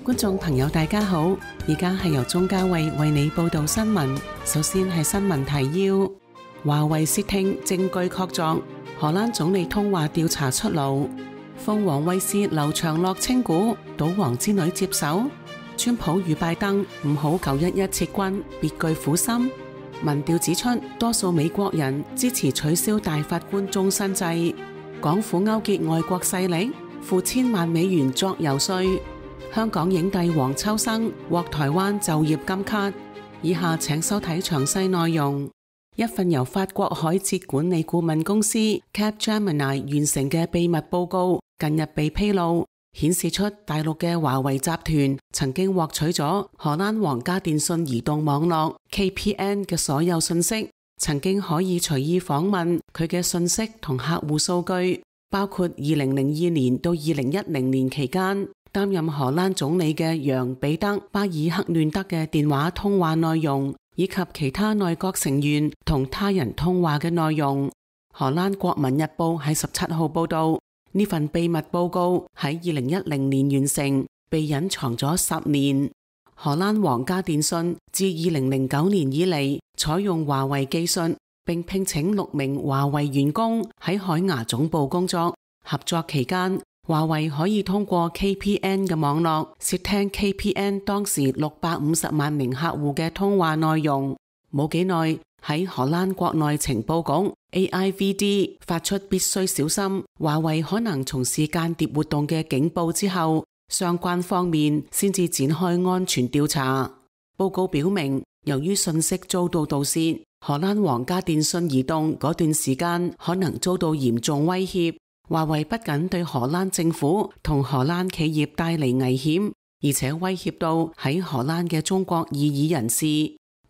觀眾朋友大家好，而家係由鐘嘉慧為你報道新聞。首先係新聞提要：華為竊聽證據確鑿，荷蘭總理通話調查出爐。鳳凰衛視劉長樂稱股，賭王之女接手。川普與拜登唔好911撤軍，別具苦心。民調指出，多數美國人支持取消大法官終身制。港府勾結外國勢力，付千萬美元作遊說。香港影帝黃秋生獲台灣就業金卡。以下請收睇詳細內容。一份由法國海捷管理顧問公司 Capgemini 完成嘅秘密報告近日被披露，顯示出大陸嘅華為集團曾經獲取咗荷蘭皇家電訊移動網絡 KPN 嘅所有信息，曾經可以隨意訪問佢嘅信息同客戶數據，包括2002年到2010年期間擔任荷蘭總理嘅楊彼得巴爾克嫩德嘅電話通話內容，以及其他內閣成員同他人通話嘅內容。荷蘭國民日報喺17號報道，呢份秘密報告喺2010年完成，被隱藏咗10年。荷蘭皇家電訊自2009年以嚟採用華為技術，並聘請6名華為員工喺海牙總部工作。合作期間，華為可以通過 KPN 嘅網絡竊聽 KPN 當時650萬名客戶嘅通話內容。冇幾耐，喺荷蘭國內情報局 AIVD 發出必須小心華為可能從事間諜活動嘅警報之後，相關方面先至展開安全調查。報告表明，由於信息遭到盜竊，荷蘭皇家電訊移動嗰段時間可能遭到嚴重威脅。華為不僅對荷蘭政府同荷蘭企業帶嚟危險，而且威脅到喺荷蘭嘅中國異議人士。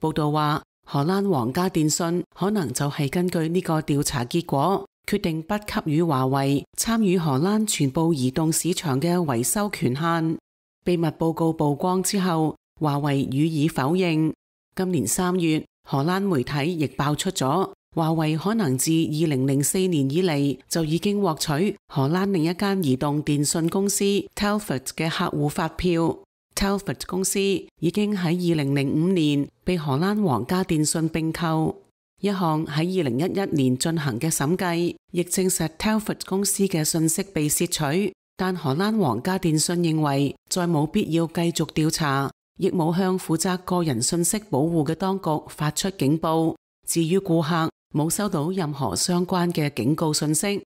報道話，荷蘭皇家電訊可能就係根據呢個調查結果，決定不給予華為參與荷蘭全部移動市場嘅維修權限。秘密報告曝光之後，華為予以否認。今年3月，荷蘭媒體亦爆出咗華為可能自2004年以嚟就已經獲取荷蘭另一間移動電訊公司 Telfort 嘅客戶發票。Telfort 公司已經喺2005年被荷蘭皇家電訊併購。一項喺2011年進行嘅審計亦證實 Telfort 公司嘅信息被竊取，但荷蘭皇家電訊認為再冇必要繼續調查，亦冇向負責個人信息保護嘅當局發出警報。至於顧客，冇收到任何相關嘅警告信息。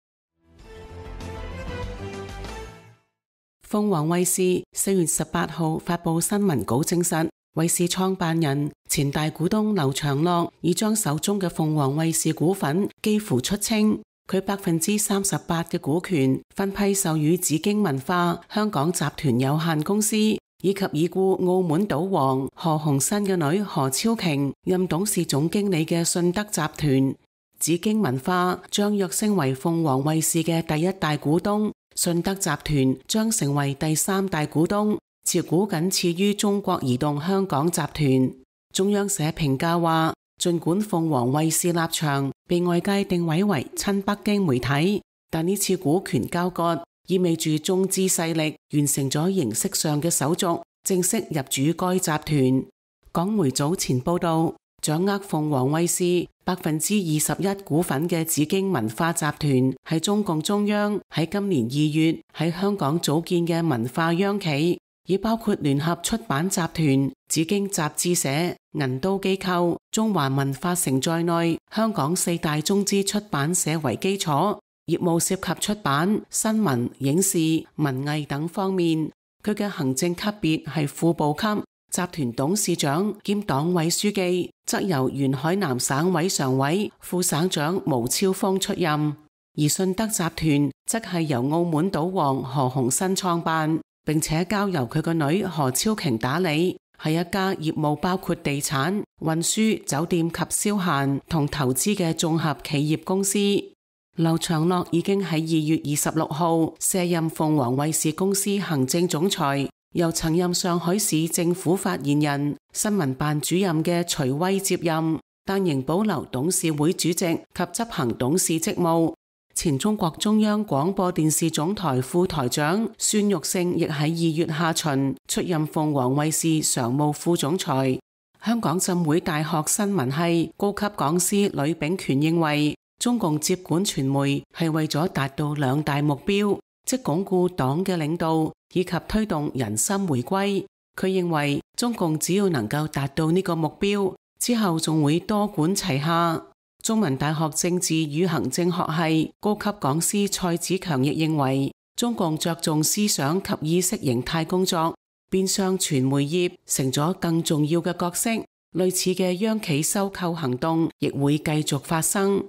鳳凰衛視4月18號發佈新聞稿證實，衛視創辦人、前大股東劉長樂已將手中嘅鳳凰衛視股份幾乎出清，佢38%嘅股權分批授予紫荊文化香港集團有限公司，以及已故澳門賭王何鴻燊嘅女何超瓊任董事總經理嘅信德集團。紫荊文化將躍升為鳳凰衛視嘅第一大股東，信德集團將成為第3大股東，持股僅次於中國移動香港集團。中央社評價話，儘管鳳凰衛視立場被外界定位為親北京媒體，但呢次股權交割意味住中資勢力完成咗形式上嘅手續，正式入主該集團。港媒早前報道，掌握鳳凰衛視21%股份嘅紫荊文化集團係中共中央喺今年2月喺香港組建嘅文化央企，以包括聯合出版集團、紫荊雜誌社、銀都機構、中華文化城在內香港4大中資出版社為基礎，業務涉及出版、新聞、影視、文藝等方面。佢嘅行政級別係副部級，集團董事長兼黨委書記則由原海南省委常委、副省長毛超峰出任，而信德集團則係由澳門賭王何鴻燊創辦，並且交由佢個女何超瓊打理，係一家業務包括地產、運輸、酒店及消閒同投資嘅綜合企業公司。劉長樂已經喺2月26號卸任鳳凰衛視公司行政總裁，由曾任上海市政府發言人、新聞辦主任嘅徐威接任，但仍保留董事會主席及執行董事職務。前中國中央廣播電視總台副台長孫玉勝亦喺2月下旬出任鳳凰衛視常務副總裁。香港浸會大學新聞系高級講師呂秉權認為，中共接管傳媒係為咗達到2大目標，即鞏固黨嘅領導以及推動人心回歸。佢認為中共只要能夠達到呢個目標，之後仲會多管齊下。中文大學政治與行政學系高級講師蔡子強亦認為，中共着重思想及意識形態工作，變相傳媒業成咗更重要嘅角色。類似嘅央企收購行動亦會繼續發生。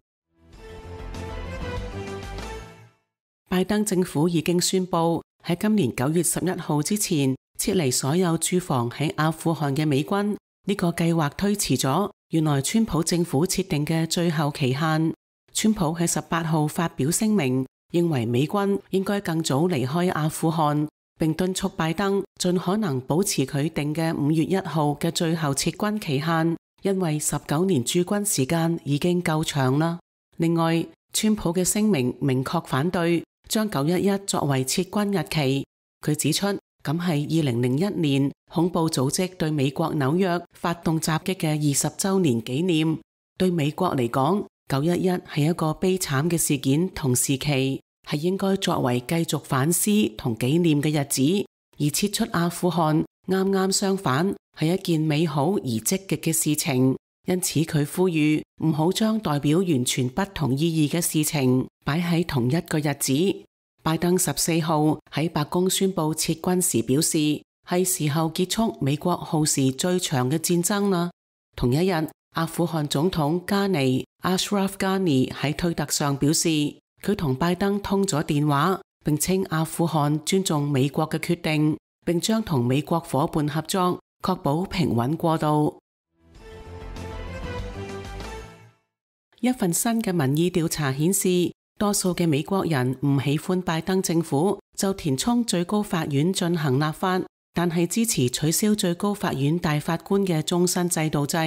拜登政府已經宣布喺今年9月11號之前撤離所有駐防喺阿富汗嘅美軍，呢個計劃推遲咗原來川普政府設定嘅最後期限。川普喺18號發表聲明，認為美軍應該更早離開阿富汗，並敦促拜登盡可能保持佢定嘅5月1號嘅最後撤軍期限，因為19年駐軍時間已經夠長啦。另外，川普嘅聲明明確反對將911作為撤軍日期。佢指出，咁係2001年恐怖組織對美國紐約發動襲擊嘅20週年紀念。對美國嚟講，911係一個悲慘嘅事件同時期，係應該作為繼續反思同紀念嘅日子。而撤出阿富汗啱啱相反，係一件美好而積極嘅事情。因此佢呼籲唔好將代表完全不同意義嘅事情擺喺同一個日子。拜登14號喺白宮宣布撤軍時表示，係時候結束美國耗時最長嘅戰爭啦。同一日，阿富汗總統加尼 Ashraf Ghani 喺推特上表示，佢同拜登通咗電話，並稱阿富汗尊重美國嘅決定，並將同美國夥伴合作，確保平穩過渡。一份新嘅民意調查顯示，多數嘅美國人唔喜歡拜登政府就填充最高法院進行立法，但係支持取消最高法院大法官嘅終身制度制。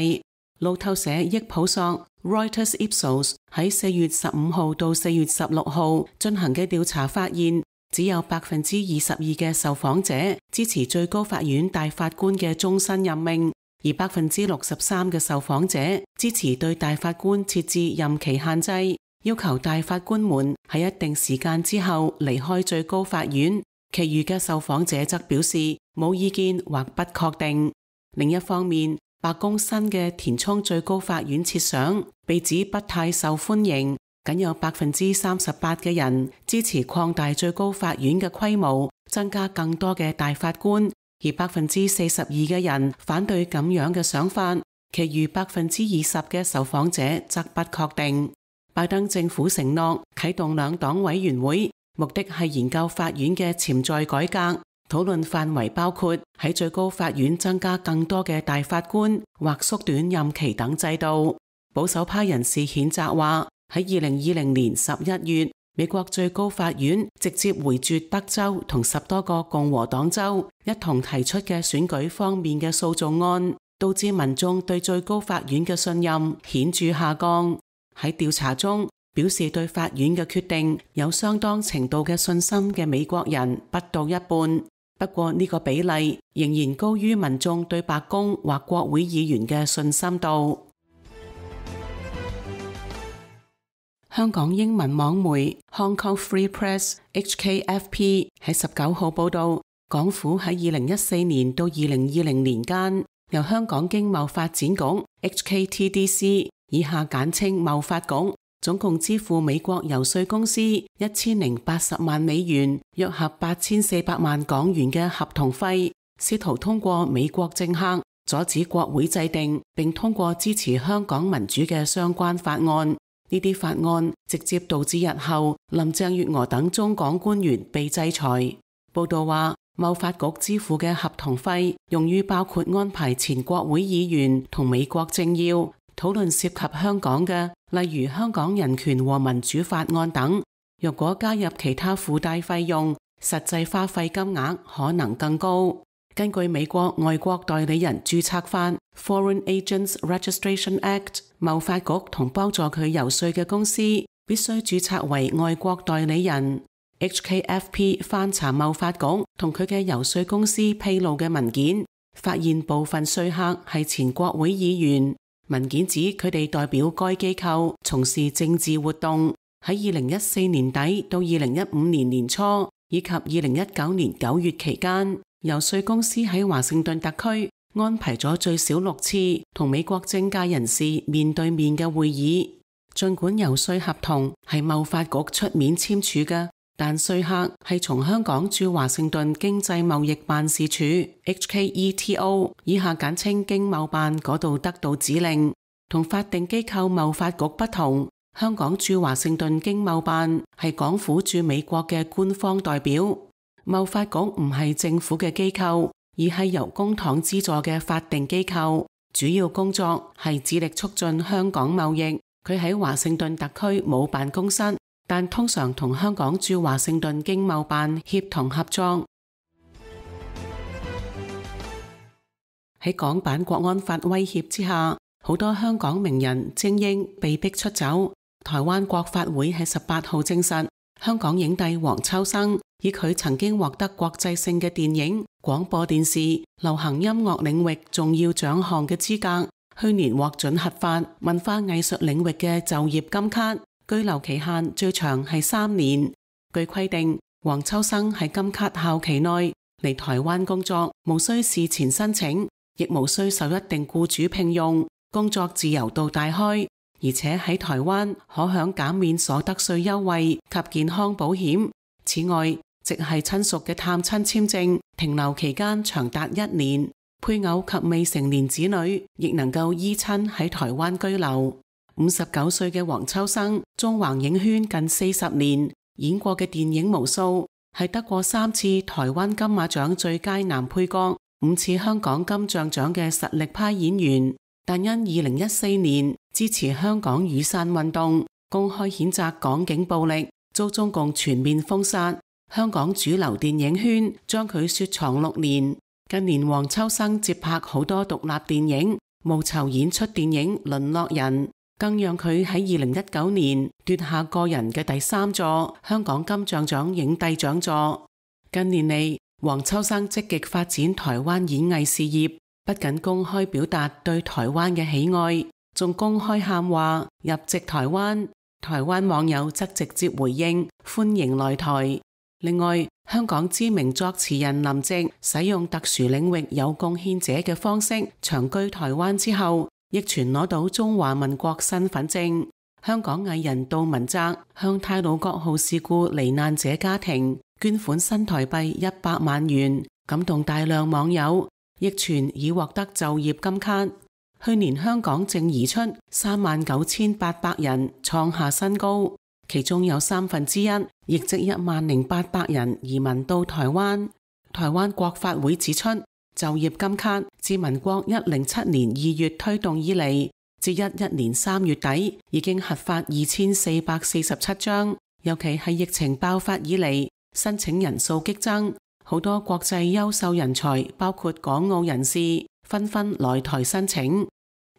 路透社益普索 Reuters Ipsos 喺4月15號到4月16號進行嘅調查發現，只有22%嘅受訪者支持最高法院大法官嘅終身任命，而63%嘅受訪者支持對大法官設置任期限制，要求大法官們喺一定時間之後離開最高法院。其餘嘅受訪者則表示冇意見或不確定。另一方面，白宮新嘅填充最高法院設想被指不太受歡迎，僅有38%嘅人支持擴大最高法院嘅規模，增加更多嘅大法官，而42%嘅人反對咁樣嘅想法，其餘20%嘅受訪者則不確定。拜登政府承諾啟動2黨委員會，目的係研究法院嘅潛在改革，討論範圍包括喺最高法院增加更多嘅大法官或縮短任期等制度。保守派人士譴責話，喺2020年11月，美國最高法院直接回絕德州同10多個共和黨州一同提出嘅選舉方面嘅訴訟案，導致民眾對最高法院嘅信任顯著下降。喺調查中，表示對法院嘅決定有相當程度嘅信心嘅美國人不到一半，不過呢個比例仍然高於民眾對白宮或國會議員嘅信心度。香港英文網媒 Hong Kong Free Press HKFP 喺19號報道，港府喺2014年到2020年間，由香港經貿發展局 HKTDC 以下簡稱貿發局，總共支付美國遊說公司1080萬美元，約合8400萬港元嘅合同費，試圖通過美國政客阻止國會制定並通過支持香港民主嘅相關法案。呢啲法案直接導致日後林鄭月娥等中港官員被制裁。報道話，貿發局支付嘅合同費用於包括安排前國會議員同美國政要討論涉及香港嘅，例如香港人權和民主法案等。若果加入其他附帶費用，實際花費金額可能更高。根據美國外國代理人註冊法 Foreign Agents Registration Act， 貿發局同幫助佢遊說嘅公司必須註冊為外國代理人。HKFP 翻查貿發局同佢嘅游說公司披露嘅文件，發現部分說客係前國會議員。文件指佢哋代表該機構從事政治活動。喺2014年底到2015年年初以及2019年9月期間，游說公司喺華盛頓特區安排咗最少6次同美國政界人士面對面嘅會議。儘管游說合同係貿發局出面簽署嘅，但說客係從香港駐華盛頓經濟貿易辦事處 HKETO 以下簡稱經貿辦嗰度得到指令。同法定機構貿發局不同，香港駐華盛頓經貿辦係港府駐美國嘅官方代表。貿發局唔係政府嘅機構，而係由公帑資助嘅法定機構，主要工作係致力促進香港貿易。佢喺華盛頓特區冇辦公室，但通常同香港駐華盛頓經貿辦協同合作。喺港版國安法威脅之下，好多香港名人精英被逼出走。台灣國法會喺18號證實，香港影帝黃秋生以佢曾經獲得國際性嘅電影、廣播電視、流行音樂領域重要獎項嘅資格，去年獲准核發文化藝術領域嘅就業金卡，居留期限最長係3年。據規定，黃秋生喺金卡效期內嚟台灣工作，無需事前申請，亦無需受一定僱主聘用，工作自由度大開，而且喺台灣可享減免所得稅優惠及健康保險。此外，直系親屬嘅探親簽證停留期間長達1年，配偶及未成年子女亦能夠依親喺台灣居留。59歲嘅黃秋生縱橫影圈近40年，演過嘅電影無數，係得過3次台灣金馬獎最佳男配角、5次香港金像獎嘅實力派演員。但因2014年支持香港雨傘運動，公開譴責港警暴力，遭中共全面封殺。香港主流電影圈將佢雪藏6年。近年黃秋生接拍好多獨立電影，務籌演出電影《淪落人》，更讓佢喺2019年奪下個人嘅第3座香港金像獎影帝獎座。近年嚟，黃秋生積極發展台灣演藝事業，不僅公開表達對台灣嘅喜愛，仲公開喊話入籍台灣。台灣網友則直接回應歡迎來台。另外，香港知名作詞人林夕使用特殊領域有貢獻者嘅方式長居台灣之後，亦傳攞到中華民國身份證。香港藝人杜汶澤向太魯閣號事故罹難者家庭捐款新台幣100萬元，感動大量網友，亦傳已獲得就業金卡。去年香港淨移出39,800人，創下新高。其中有1/3，亦即10,800人移民到台灣。台灣國法會指出，就業金卡自民國107年2月推動以嚟，至11年3月底已經核發2447張。尤其係疫情爆發以嚟，申請人數激增，好多國際優秀人才，包括港澳人士，紛紛來台申請。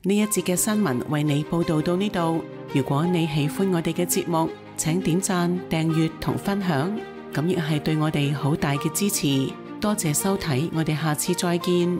呢一節嘅新聞為你報道到呢度。如果你喜歡我哋嘅節目，請點讚、訂閱同分享，咁亦係對我哋好大嘅支持。多謝收睇，我哋下次再見。